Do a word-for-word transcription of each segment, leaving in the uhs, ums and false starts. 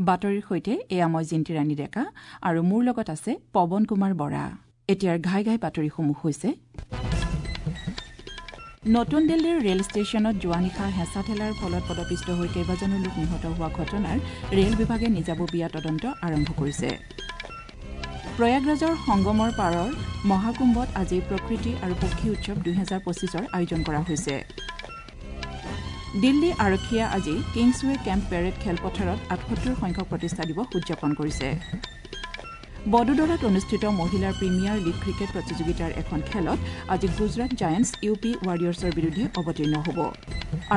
বাতৰিৰ সৈতে এয়া মই জিন্তিৰাণী ডেকা আৰু মোৰ লগত আছে পৱন কুমাৰ বৰা। এতিয়াৰ ঘাই ঘাই বাতৰিসমূহ হৈছে নতুন দিল্লীৰ ৰেল ষ্টেচনত যোৱা নিশা হেঁচা ঠেলাৰ ফলত পদপিষ্ট হৈ কেইবাজনো লোক নিহত হোৱা ঘটনাৰ ৰেল বিভাগে নিজাববীয়া তদন্ত আৰম্ভ কৰিছে। প্ৰয়াগৰাজৰ সংগমৰ পাৰৰ মহাকুম্ভত আজি প্ৰকৃতি আৰু পক্ষী উৎসৱ দুহেজাৰ পঁচিছৰ আয়োজন কৰা হৈছে। দিল্লী আৰক্ষীয়ে আজি কিংছৱে কেম্প পেৰেড খেলপথাৰত আঠসত্তৰ সংখ্যক প্ৰতিষ্ঠা দিৱস উদযাপন কৰিছে। বদোদৰাত অনুষ্ঠিত মহিলাৰ প্ৰিমিয়াৰ লীগ ক্ৰিকেট প্ৰতিযোগিতাৰ এখন খেলত আজি গুজৰাট জায়েণ্টছ ইউ পি ৱাৰিয়ৰ্ছৰ বিৰুদ্ধে অৱতীৰ্ণ হ'ব।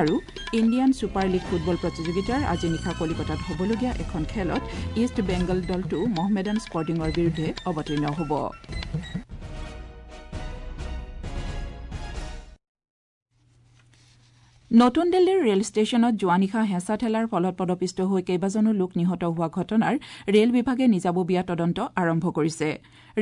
আৰু ইণ্ডিয়ান ছুপাৰ লীগ ফুটবল প্ৰতিযোগিতাৰ আজি নিশা কলিকতাত হ'বলগীয়া এখন খেলত ইষ্ট বেংগল দলটো মহমেডান স্পৰ্টিঙৰ বিৰুদ্ধে অৱতীৰ্ণ হ'ব। নতুন দিল্লীৰ ৰেল ষ্টেচনত যোৱা নিশা হেঁচা ঠেলাৰ ফলত পদপিষ্ট হৈ কেইবাজনো লোক নিহত হোৱা ঘটনাৰ ৰেল বিভাগে নিজাববীয়া তদন্ত আৰম্ভ কৰিছে।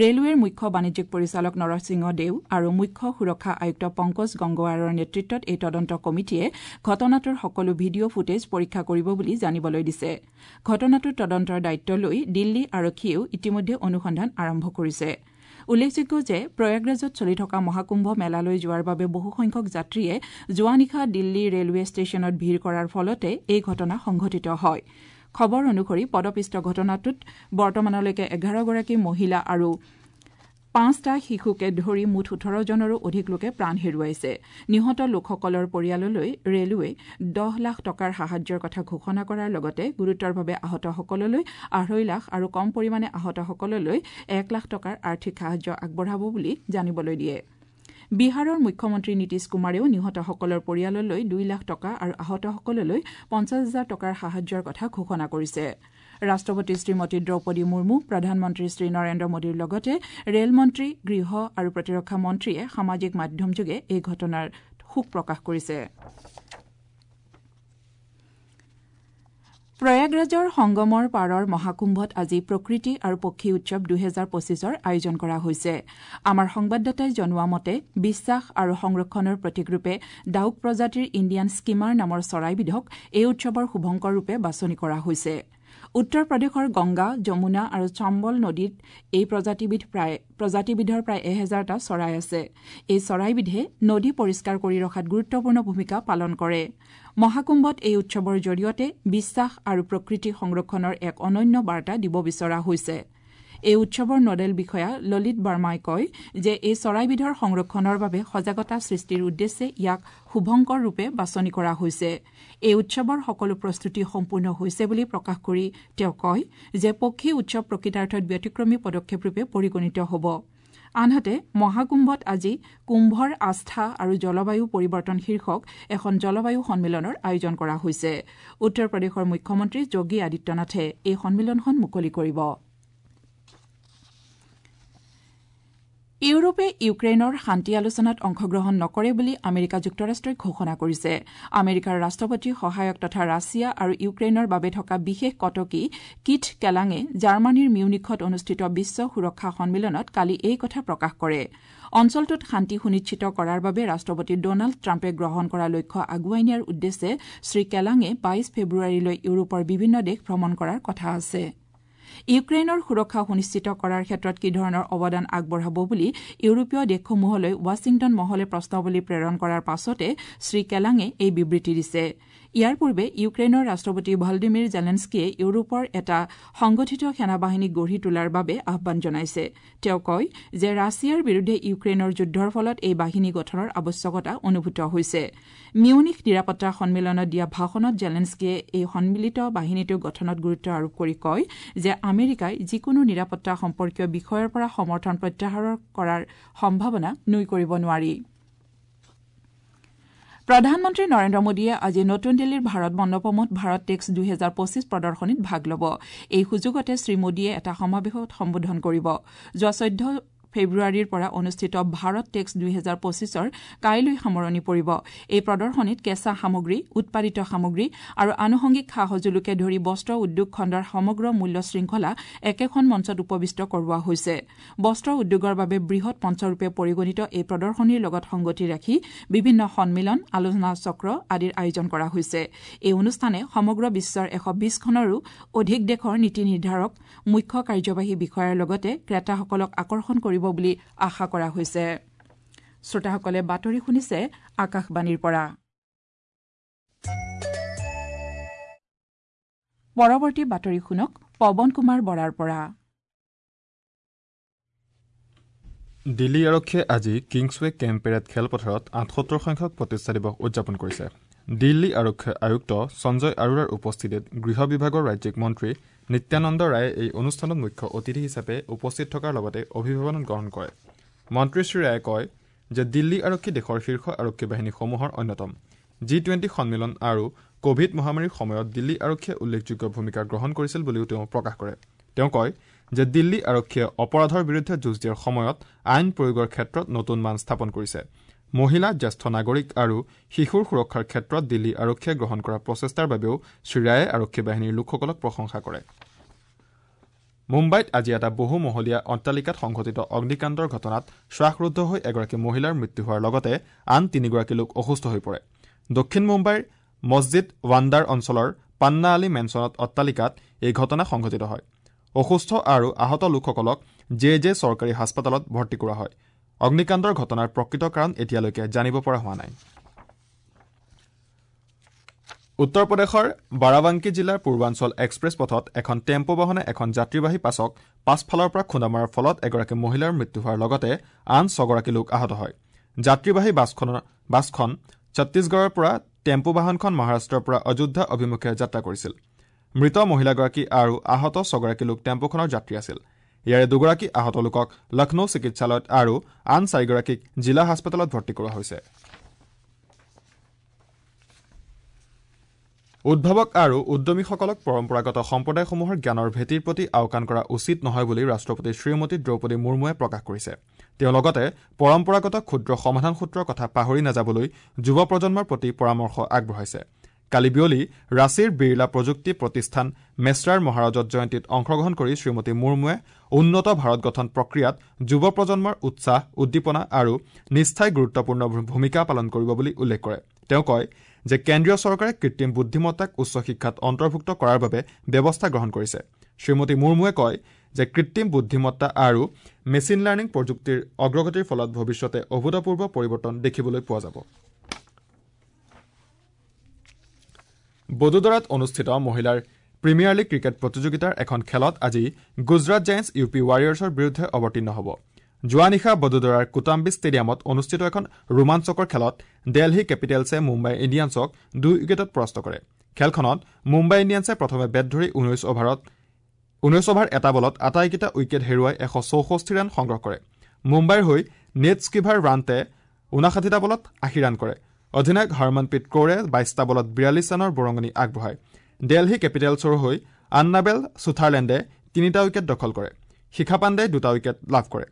ৰেলৱেৰ মুখ্য বাণিজ্যিক পৰিচালক নৰসিংহ দেও আৰু মুখ্য সুৰক্ষা আয়ুক্ত পংকজ গংগৱাৰৰ নেতৃত্বত এই তদন্ত কমিটিয়ে ঘটনাটোৰ সকলো ভিডিঅ' ফুটেজ পৰীক্ষা কৰিব বুলি জানিবলৈ দিছে। ঘটনাটোৰ তদন্তৰ দায়িত্ব লৈ দিল্লী আৰক্ষীয়েও ইতিমধ্যে অনুসন্ধান আৰম্ভ কৰিছে। উল্লেখযোগ্য যে প্ৰয়াগৰাজত চলি থকা মহাকুম্ভ মেলালৈ যোৱাৰ বাবে বহুসংখ্যক যাত্ৰীয়ে যোৱা নিশা দিল্লী ৰেলৱে ষ্টেচনত ভিৰ কৰাৰ ফলতে এই ঘটনা সংঘটিত হয়। খবৰ অনুসৰি পদপিষ্ট ঘটনাটোত বৰ্তমানলৈকে এঘাৰগৰাকী মহিলা আৰু পাঁচটা শিশুকে ধৰি মুঠ ওঠৰজনৰো অধিক লোকে প্ৰাণ হেৰুৱাইছে। নিহত লোকসকলৰ পৰিয়াললৈ ৰেলৱে দহ লাখ টকাৰ সাহায্যৰ কথা ঘোষণা কৰাৰ লগতে গুৰুতৰভাৱে আহতসকললৈ আঢ়ৈ লাখ আৰু কম পৰিমাণে আহতসকললৈ এক লাখ টকাৰ আৰ্থিক সাহায্য আগবঢ়াব বুলি জানিবলৈ দিয়ে। বিহাৰৰ মুখ্যমন্ত্ৰী নীতিশ কুমাৰেও নিহতসকলৰ পৰিয়াললৈ দুই লাখ টকা আৰু আহতসকললৈ পঞ্চাছ হাজাৰ টকাৰ সাহায্যৰ কথা ঘোষণা কৰিছে। ৰাষ্ট্ৰপতি শ্ৰীমতী দ্ৰৌপদী মুৰ্মু, প্ৰধানমন্ত্ৰী শ্ৰী নৰেন্দ্ৰ মোদীৰ লগতে ৰেলমন্ত্ৰী, গৃহ আৰু প্ৰতিৰক্ষা মন্ত্ৰীয়ে সামাজিক মাধ্যমযোগে এই ঘটনাৰ শোক প্ৰকাশ কৰিছে। প্ৰয়াগৰাজৰ সংগমৰ পাৰৰ মহাকুম্ভত আজি প্ৰকৃতি আৰু পক্ষী উৎসৱ দুহেজাৰ পঁচিছৰ আয়োজন কৰা হৈছে। আমাৰ সংবাদদাতাই জনোৱা মতে বিশ্বাস আৰু সংৰক্ষণৰ প্ৰতীকৰূপে ডাউক প্ৰজাতিৰ ইণ্ডিয়ান স্কিমাৰ নামৰ চৰাইবিধক এই উৎসৱৰ শুভংকৰ ৰূপে বাছনি কৰা হৈছে। উত্তৰ প্ৰদেশৰ গংগা, যমুনা আৰু চম্বল নদীত এই প্ৰজাতিবিধ প্ৰায় প্ৰজাতিবিধৰ প্ৰায় এহেজাৰটা চৰাই আছে। এই চৰাইবিধে নদী পৰিষ্কাৰ কৰি ৰখাত গুৰুত্বপূৰ্ণ ভূমিকা পালন কৰে। মহাকুম্ভত এই উৎসৱৰ জৰিয়তে বিশ্বাস আৰু প্ৰকৃতি সংৰক্ষণৰ এক অনন্য বাৰ্তা দিব বিচৰা হৈছে। এই উৎসৱৰ নডেল বিষয়া ললিত বাৰ্মাই কয় যে এই চৰাইবিধৰ সংৰক্ষণৰ বাবে সজাগতা সৃষ্টিৰ উদ্দেশ্যে ইয়াক শুভংকৰ ৰূপে বাছনি কৰা হৈছে। এই উৎসৱৰ সকলো প্ৰস্তুতি সম্পূৰ্ণ হৈছে বুলি প্ৰকাশ কৰি তেওঁ কয় যে পক্ষী উৎসৱ প্ৰকৃতাৰ্থত ব্যতিক্ৰমী পদক্ষেপৰূপে পৰিগণিত হ'ব। আনহাতে মহাকুম্ভত আজি কুম্ভৰ আস্থা আৰু জলবায়ু পৰিৱৰ্তন শীৰ্ষক এখন জলবায়ু সন্মিলনৰ আয়োজন কৰা হৈছে। উত্তৰ প্ৰদেশৰ মুখ্যমন্ত্ৰী যোগী আদিত্যনাথে এই সন্মিলনখন মুকলি কৰিব। ইউৰোপে ইউক্ৰেইনৰ শান্তি আলোচনাত অংশগ্ৰহণ নকৰে বুলি আমেৰিকা যুক্তৰাষ্ট্ৰই ঘোষণা কৰিছে। আমেৰিকাৰ ৰাষ্ট্ৰপতিৰ সহায়ক তথা ৰাছিয়া আৰু ইউক্ৰেইনৰ বাবে থকা বিশেষ কটকী কিথ কেলাঙে জাৰ্মানীৰ মিউনিখত অনুষ্ঠিত বিশ্ব সুৰক্ষা সন্মিলনত কালি এই কথা প্ৰকাশ কৰে। অঞ্চলটোত শান্তি সুনিশ্চিত কৰাৰ বাবে ৰাষ্ট্ৰপতি ডনাল্ড ট্ৰাম্পে গ্ৰহণ কৰা লক্ষ্য আগুৱাই নিয়াৰ উদ্দেশ্যে শ্ৰীকেলাঙে বাইশ ফেব্ৰুৱাৰীলৈ ইউৰোপৰ বিভিন্ন দেশ ভ্ৰমণ কৰাৰ কথা আছে। ইউক্ৰেইনৰ সুৰক্ষা সুনিশ্চিত কৰাৰ ক্ষেত্ৰত কি ধৰণৰ অৱদান আগবঢ়াব বুলি ইউৰোপীয় দেশসমূহলৈ ৱাশ্বিংটন মহলে প্ৰশ্নাৱলী প্ৰেৰণ কৰাৰ পাছতে শ্ৰীকেলাঙে এই বিবৃতি দিছে। ইয়াৰ পূৰ্বে ইউক্ৰেইনৰ ৰাষ্ট্ৰপতি ভলডিমিৰ জেলেন্সকিয়ে ইউৰোপৰ এটা সংগঠিত সেনাবাহিনী গঢ়ি তোলাৰ বাবে আহ্বান জনাইছে। তেওঁ কয় যে ৰাছিয়াৰ বিৰুদ্ধে ইউক্ৰেইনৰ যুদ্ধৰ ফলত এই বাহিনী গঠনৰ আৱশ্যকতা অনুভূত হৈছে। মিউনিখ নিৰাপত্তা সন্মিলনত দিয়া ভাষণত জেলেন্সকিয়ে এই সন্মিলিত বাহিনীটো গঠনত গুৰুত্ব আৰোপ কৰি কয় যে আমেৰিকাই যিকোনো নিৰাপত্তা সম্পৰ্কীয় বিষয়ৰ পৰা সমৰ্থন প্ৰত্যাহাৰ কৰাৰ সম্ভাৱনা নুই কৰিব নোৱাৰি। প্ৰধানমন্ত্ৰী নৰেন্দ্ৰ মোদীয়ে আজি নতুন দিল্লীৰ ভাৰত মণ্ডপমত ভাৰত টেক্স দুহেজাৰ পঁচিছ প্ৰদৰ্শনীত ভাগ ল'ব। এই সুযোগতে শ্ৰীমোদীয়ে এটা সমাৱেশত সম্বোধন কৰিব। যোৱা চৈধ্য ফেব্ৰুৱাৰীৰ পৰা অনুষ্ঠিত ভাৰত টেক্স দুহেজাৰ পঁচিছৰ কাইলৈ সামৰণি পৰিব। এই প্ৰদৰ্শনীত কেঁচা সামগ্ৰী, উৎপাদিত সামগ্ৰী আৰু আনুষংগিক সা সঁজুলিকে ধৰি বস্ত্ৰ উদ্যোগ খণ্ডৰ সমগ্ৰ মূল্য শৃংখলা একেখন মঞ্চত উপবিষ্ট কৰোৱা হৈছে। বস্ত্ৰ উদ্যোগৰ বাবে বৃহৎ মঞ্চৰূপে পৰিগণিত এই প্ৰদৰ্শনীৰ লগত সংগতি ৰাখি বিভিন্ন সন্মিলন, আলোচনা চক্ৰ আদিৰ আয়োজন কৰা হৈছে। এই অনুষ্ঠানে সমগ্ৰ বিশ্বৰ এশ বিশখনৰো অধিক দেশৰ নীতি নিৰ্ধাৰক, মুখ্য কাৰ্যবাহী বিষয়াৰ লগতে ক্ৰেতাসকলক আকৰ্ষণ কৰিব বুলি আশা কৰা হৈছে। শ্ৰোতাসকলে বাতৰি শুনিছে আকাশবাণীৰ পৰা। পৰৱৰ্তী বাতৰি শুনক পৱন কুমাৰ বৰাৰ পৰা। দিল্লী আৰক্ষীয়ে আজি কিংছৱে কেম্প পেৰেড খেলপথাৰত আঠসত্তৰ সংখ্যক প্ৰতিষ্ঠা দিৱস উদযাপন কৰিছে। দিল্লী আৰক্ষী আয়ুক্ত সঞ্জয় আৰোৰাৰ উপস্থিতিত গৃহ বিভাগৰ ৰাজ্যিক মন্ত্ৰী নিত্যানন্দ ৰায়ে এই অনুষ্ঠানত মুখ্য অতিথি হিচাপে উপস্থিত থকাৰ লগতে অভিভাৱন গ্ৰহণ কৰে। মন্ত্ৰী শ্ৰী ৰায়ে কয় যে দিল্লী আৰক্ষী দেশৰ শীৰ্ষ আৰক্ষী বাহিনীসমূহৰ অন্যতম। জি টুৱেণ্টি সন্মিলন আৰু কভিড মহামাৰীৰ সময়ত দিল্লী আৰক্ষীয়ে উল্লেখযোগ্য ভূমিকা গ্ৰহণ কৰিছিল বুলিও তেওঁ প্ৰকাশ কৰে। তেওঁ কয় যে দিল্লী আৰক্ষীয়ে অপৰাধৰ বিৰুদ্ধে যুঁজ দিয়াৰ সময়ত আইন প্ৰয়োগৰ ক্ষেত্ৰত নতুন মান স্থাপন কৰিছে। মহিলা, জ্যেষ্ঠ নাগৰিক আৰু শিশুৰ সুৰক্ষাৰ ক্ষেত্ৰত দিল্লী আৰক্ষীয়ে গ্ৰহণ কৰা প্ৰচেষ্টাৰ বাবেও শ্ৰীৰায়ে আৰক্ষী বাহিনীৰ লোকসকলক প্ৰশংসা কৰে। মুম্বাইত আজি এটা বহুমহলীয়া অট্টালিকাত সংঘটিত অগ্নিকাণ্ডৰ ঘটনাত শ্বাসৰুদ্ধ হৈ এগৰাকী মহিলাৰ মৃত্যু হোৱাৰ লগতে আন তিনিগৰাকী লোক অসুস্থ হৈ পৰে। দক্ষিণ মুম্বাইৰ মছজিদ ৱাণ্ডাৰ অঞ্চলৰ পান্না আলী মেনচনত অট্টালিকাত এই ঘটনা সংঘটিত হয়। অসুস্থ আৰু আহত লোকসকলক জে জে চৰকাৰী হাস্পতালত ভৰ্তি কৰা হয়। অগ্নিকাণ্ডৰ ঘটনাৰ প্ৰকৃত কাৰণ এতিয়ালৈকে জানিব পৰা হোৱা নাই। উত্তৰ প্ৰদেশৰ বাৰাবাংকী জিলাৰ পূৰ্বাঞ্চল এক্সপ্ৰেছ পথত এখন টেম্পো বাহনে এখন যাত্ৰীবাহী বাছক পাছফালৰ পৰা খুন্দা মৰাৰ ফলত এগৰাকী মহিলাৰ মৃত্যু হোৱাৰ লগতে আন ছগৰাকী লোক আহত হয়। যাত্ৰীবাহী বাছখনৰ বাছখন ছত্তীশগড়ৰ পৰা টেম্পো বাহনখন মহাৰাষ্ট্ৰৰ পৰা অযোধ্যা অভিমুখে যাত্ৰা কৰিছিল। মৃত মহিলাগৰাকী আৰু আহত ছগৰাকী লোক টেম্পোখনৰ যাত্ৰী আছিল। ইয়াৰে দুগৰাকী আহত লোকক লক্ষ্ণৌ চিকিৎসালয়ত আৰু আন চাৰিগৰাকীক জিলা হাস্পতালত ভৰ্তি কৰোৱা হৈছে। উদ্ভাৱক আৰু উদ্যমীসকলক পৰম্পৰাগত সম্প্ৰদায়সমূহৰ জ্ঞানৰ ভেটিৰ প্ৰতি আওকাণ কৰা উচিত নহয় বুলি ৰাষ্ট্ৰপতি শ্ৰীমতী দ্ৰৌপদী মুৰ্মুৱে প্ৰকাশ কৰিছে। তেওঁ লগতে পৰম্পৰাগত ক্ষুদ্ৰ সমাধান সূত্ৰৰ কথা পাহৰি নাযাবলৈ যুৱ প্ৰজন্মৰ প্ৰতি পৰামৰ্শ আগবঢ়াইছে। কালি বিয়লি ৰাঁচীৰ বিৰলা প্ৰযুক্তি প্ৰতিষ্ঠান মেশ্ৰাৰ মহাৰাজত জয়ন্তীত অংশগ্ৰহণ কৰি শ্ৰীমতী মুৰ্মুৱে উন্নত ভাৰত গঠন প্ৰক্ৰিয়াত যুৱ প্ৰজন্মৰ উৎসাহ, উদ্দীপনা আৰু নিষ্ঠাই গুৰুত্বপূৰ্ণ ভূমিকা পালন কৰিব বুলি উল্লেখ কৰে। তেওঁ কয় যে কেন্দ্ৰীয় চৰকাৰে কৃত্ৰিম বুদ্ধিমত্তাক উচ্চ শিক্ষাত অন্তৰ্ভুক্ত কৰাৰ বাবে ব্যৱস্থা গ্ৰহণ কৰিছে। শ্ৰীমতী মুৰ্মুৱে কয় যে কৃত্ৰিম বুদ্ধিমত্তা আৰু মেচিন লাৰ্ণিং প্ৰযুক্তিৰ অগ্ৰগতিৰ ফলত ভৱিষ্যতে অভূতপূৰ্ব পৰিৱৰ্তন দেখিবলৈ পোৱা যাব। বদোদৰাত অনুষ্ঠিত মহিলাৰ প্ৰিমিয়াৰ লীগ ক্ৰিকেট প্ৰতিযোগিতাৰ এখন খেলত আজি গুজৰাট জায়েণ্টছ ইউ পি ৱাৰিয়াৰ্ছৰ বিৰুদ্ধে অৱতীৰ্ণ হ'ব। যোৱা নিশা বদোদৰাৰ কোটাম্বি ষ্টেডিয়ামত অনুষ্ঠিত এখন ৰোমাঞ্চকৰ খেলত দেলহি কেপিটেলছে মুম্বাই ইণ্ডিয়ানছক দুই উইকেটত পৰাস্ত কৰে। খেলখনত মুম্বাই ইণ্ডিয়ানছে প্ৰথমে বেট ধৰি ঊনৈশ অভাৰত ঊনৈশ অভাৰ এটা বলত আটাইকেইটা উইকেট হেৰুৱাই এশ চৌষষ্ঠি ৰান সংগ্ৰহ কৰে। মুম্বাইৰ হৈ নেট স্কিভাৰ ৰাণ্টে ঊনাষাঠিটা বলত আশী ৰান কৰে। অধিনায়ক হৰমনপ্ৰীত কৌৰে বাইশটা বলত বিৰাল্লিছ ৰানৰ বৰঙণি আগবঢ়ায়। দেলহি কেপিটেলছৰ হৈ আন্নাবেল ছুথাৰলেণ্ডে তিনিটা উইকেট দখল কৰে। শিখা পাণ্ডে দুটা উইকেট লাভ কৰে।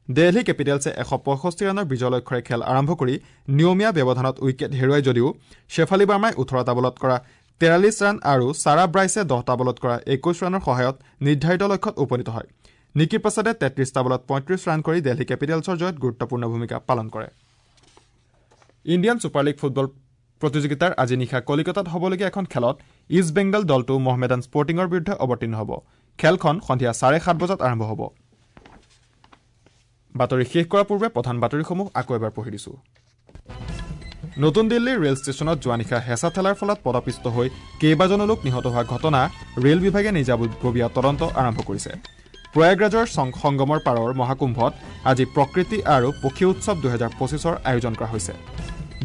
দেলহি কেপিটেলছে এশ পঁয়ষষ্ঠি ৰানৰ বিজয় লক্ষ্যৰে খেল আৰম্ভ কৰি নিয়মীয়া ব্যৱধানত উইকেট হেৰুৱাই যদিও শ্বেফালী বাৰ্মাই ওঠৰটা বলত কৰা তেৰাল্লিছ ৰান আৰু ছাৰা ব্ৰাইছে দহটা বলত কৰা একৈশ ৰানৰ সহায়ত নিৰ্ধাৰিত লক্ষ্যত উপনীত হয়। নিকি প্ৰসাদে তেত্ৰিশটা বলত পঁয়ত্ৰিশ ৰান কৰি দেলহি কেপিটেলছৰ জয়ত গুৰুত্বপূৰ্ণ ভূমিকা পালন কৰে। ইণ্ডিয়ান ছুপাৰ লীগ ফুটবল প্ৰতিযোগিতাৰ আজি নিশা কলিকতাত হ'বলগীয়া এখন খেলত ইষ্ট বেংগল দলটো মহমেডান স্পৰ্টিঙৰ বিৰুদ্ধে অৱতীৰ্ণ হ'ব। খেলখন সন্ধিয়া চাৰে সাত বজাত আৰম্ভ হ'ব। বাতৰি শেষ কৰাৰ পূৰ্বে প্ৰধান বাতৰিসমূহ আকৌ এবাৰ পঢ়ি দিছোঁ। নতুন দিল্লীৰ ৰেল ষ্টেচনত যোৱা নিশা হেঁচা ঠেলাৰ ফলত পদপিষ্ট হৈ কেইবাজনো লোক নিহত হোৱা ঘটনা ৰেল বিভাগে নিজাববীয়া তদন্ত আৰম্ভ কৰিছে। প্ৰয়াগৰাজৰ সংগমৰ পাৰৰ মহাকুম্ভত আজি প্ৰকৃতি আৰু পক্ষী উৎসৱ দুহেজাৰ পঁচিছৰ আয়োজন কৰা হৈছে।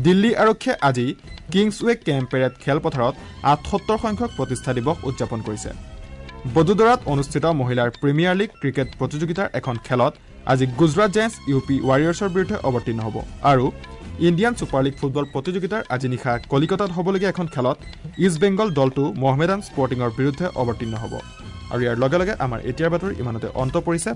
দিল্লী আৰক্ষীয়ে আজি কিংছৱে কেম্প পেৰেড খেলপথাৰত আঠসত্তৰ সংখ্যক প্ৰতিষ্ঠা দিৱস উদযাপন কৰিছে। বদোদৰাত অনুষ্ঠিত মহিলাৰ প্ৰিমিয়াৰ লীগ ক্ৰিকেট প্ৰতিযোগিতাৰ এখন খেলত আজি গুজৰাট জায়েণ্টছ ইউ পি ৱাৰিয়াৰ্ছৰ বিৰুদ্ধে অৱতীৰ্ণ হ'ব আৰু ইণ্ডিয়ান ছুপাৰ লীগ ফুটবল প্ৰতিযোগিতাৰ আজি নিশা কলিকতাত হ'বলগীয়া এখন খেলত ইষ্ট বেংগল দলটো মহমেডান স্পৰ্টিঙৰ বিৰুদ্ধে অৱতীৰ্ণ হ'ব। আৰু ইয়াৰ লগে লগে আমাৰ এতিয়াৰ বাতৰি ইমানতে অন্ত পৰিছে।